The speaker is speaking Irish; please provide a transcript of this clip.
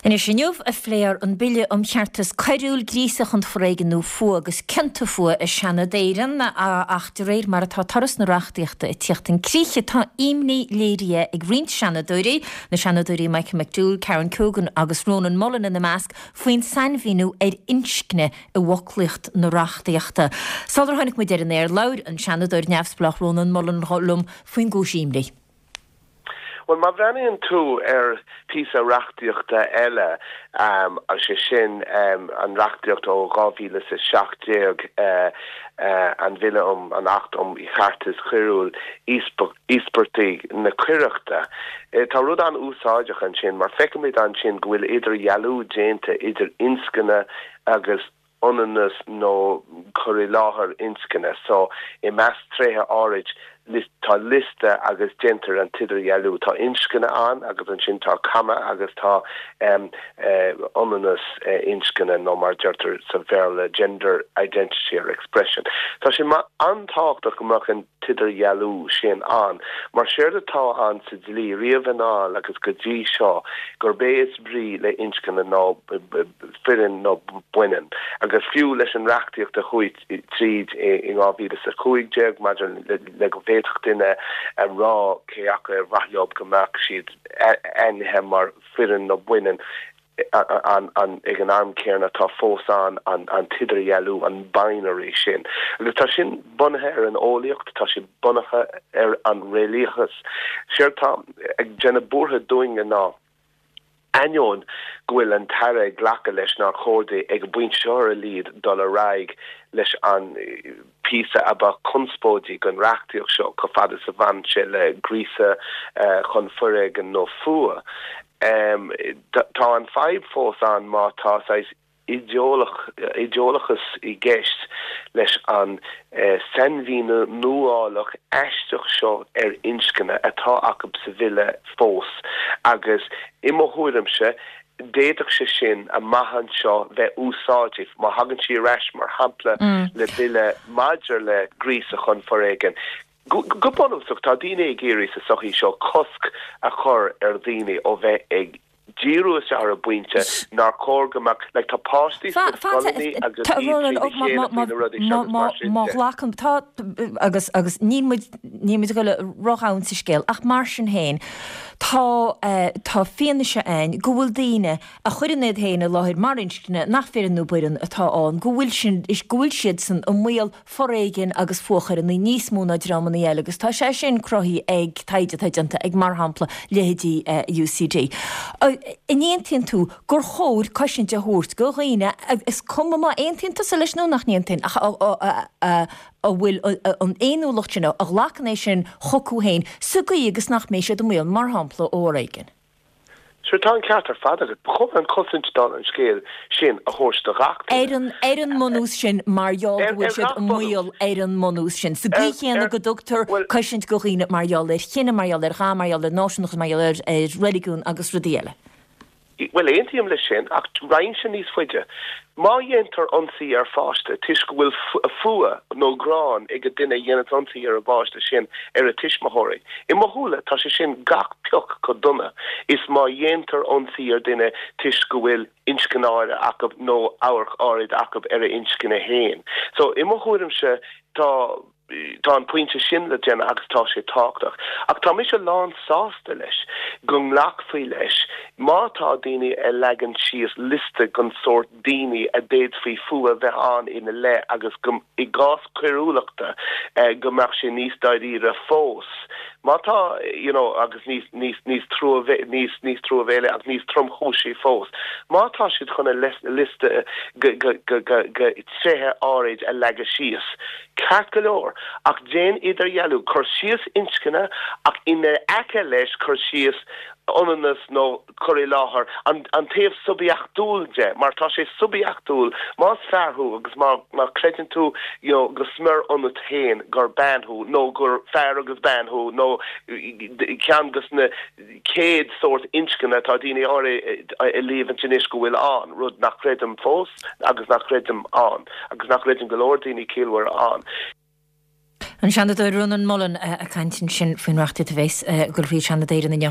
Anois, inniu a phléifear an Bille um Cheartas Coiriúil, Gríosadh chun Foréigin nó Fuath agus Cionta Fuatha i Seanad Éireann, ach de réir mar atá turas na reachtaíochta ag tíocht chun críche, tá imní léirithe ag roinnt Seanadóirí, na Seanadóirí Michael McDowell, Karen Keoghan agus Rónán Mullen ina measc, faoin sainmhíniú ar inscne i bhfoclaíocht na reachtaíochta. Sular tháinig muid ar an aer, labhair an Seanadóir neamhspleách Rónán Mullen liom faoin gcúis imní. Bhuel, má bhreathnaíonn tú ar phíosa reachtaíochta eile, sé sin an reachtaíocht ó 2017, an Bhille um an Acht um Cheartas Coiriúil, Íospartaigh na Coireachta, tá rud an-úsáideach ansin mar feicimid ansin go bhfuil idirdhealú déanta idir inscne agus ionannas nó cur i láthair inscne. So, i measc tréithe áirid, tá liosta agus déantar an t-idirdhealú. Tá inscne ann agus ansin tá comma agus tá ionannas inscne nó mar a deirtear sa Bhéarla gender identity or expression. Tá sé an-tábhachtach go mbeadh an t-idirdhealú sin ann mar séard atá ann sa dlí riamh anall agus go dtí seo gurb é is brí le inscne ná fireann nó baineann, agus fiú leis an reachtaíocht a chuaigh tríd in 2015 maidir le go bhféadfadh duine a rá cé acu ar mhaith leo go mbeadh siad ainmnithe mar fireann nó baineann, ag an am céanna tá fós ann an t-idirdhealú, an binary sin. Agus tá sin bunaithe ar an eolaíocht, tá sé bunaithe ar an réalaíochas. Séard atá ag déanamh buartha dúinne ná. Ainneoin go bhfuil an tAire ag glacadh leis nár chóir di ag an bpointe seo ar a laghad dul ar aghaidh leis an bpíosa a ba chonspóidí den reachtaíocht seo chomh fada is a bhain sé le gríosadh chun foréigin nó fuath, tá an fadhb fós ann má tá saghas idéalachas i gceist leis an sainmhíniú nuálach aisteach seo ar inscne atá acu sa bhille fós agus i mo thuairimse d'fhéadfadh sé sin amach anseo bheith úsáideach má thagann sí ar ais mar shampla le bille maidir le gríosadh chun foréigin. Go bunúsach tá daoine ag iarraidh sa sochaí seo cosc a chur ar dhaoine ó bheith ag díriú isteach ar an bpointe nár chóir go mbeadh, like tá páistí sna scoileanna agus iad trína chéile faoi na rudaí seo agus mar sin de. Má ghlacann, tá, agus, agus níl muid, níl muid ag dul ródhomhain sa scéal ach mar sin féin tá, tá fianaise ann go bhfuil daoine a chuireann iad féin i láthair mar inscne nach fireann nó baineann atá ann, go bhfuil sin, go bhfuil siadsan i mbaol foréigin agus fuathchoireanna níos mó ná dreamanna eile agus tá sé sin cruthaithe ag taighde atá déanta ag, mar shampla, leithéidí UCD. An aontaíonn tú gur chóir cosaint a thabhairt do dhaoine, is cuma má aontaíonn tusa leis nó nach n-aontaíonn, ach a bhfuil an fhéiniúlacht sin, a ghlacann é sin chucu féin sa gcaoi agus nach mbeidh siad i mbaol, mar shampla, ó fhoréigean? Sure, tá an ceart ar fad agat. Ba chóir an chosaint dála an scéil sin a thabhairt do gach duine. Ar an, ar an mbunús sin, mar gheall go bhfuil siad i mbaol ar an mbunús sin. Sa gcaoi chéanna go dtugtar cosaint do dhaoine mar gheall ar chine, mar gheall ar dhath, mar gheall ar náisiúnachas, mar gheall ar, ar reiligiún agus rudaí eile. Bhuel, aontaím leis sin, ach raghainnse níos faide. Má dhéantar ionsaí ar pháiste toisc go bhfuil fuath nó gráin ag an duine a dhéananns ionsaí ar an bpáiste sin ar a tuismitheoirí, i mo shúile tá sé sin gach pioc chomh dona is má dhéantar ionsaí ar duine toisc go bhfuil inscne áirithe acu nó amharc áirid acu ar a inscne fhéin. So, i mo thuairimse tá. Tá an pointe sin le déanamh agus tá sé tábhachtach. Ach tá mise lán sásta leis go nglacfaí leis má tá daoine ag leagan síos liosta den sórt daoine a d'fhéadfaí fuath a bheith ann ina leith agus go, i gcás coiriúlachta, go mbeadh sé níos dáiríre fós. Má tá, you know, agus níos, níos, níos níos, níos truamhéile agus níos tromchúisí fós. Má tá siad chun a liosta de, de, de, de tréithe áirid a leagadh síos, Ceart go leor, ach déan idirdhealú, cuir síos inscne ach ina aice leis cuir síos ionannas nó cur i láthair, an taobh suibiachtúil de, mar tá sé suibiachtúil, más fear thú agus má má chreideann tú you know go smior ionat féin gur bean thú nó gur fear agus bean thú nó ceann dos na 100 sórt inscne atá daoine áirithe ag líomhaint anois go bhfuil ann, rud nach gcreidim fós agus nach gcreidim ann agus nach gcreideann go leor daoine ciallmhara ann. An Seanadóir Rónán Mullen ag caint ansin faoin reachtaíocht a bheas ag dul thríd Seanad Éireann inniu.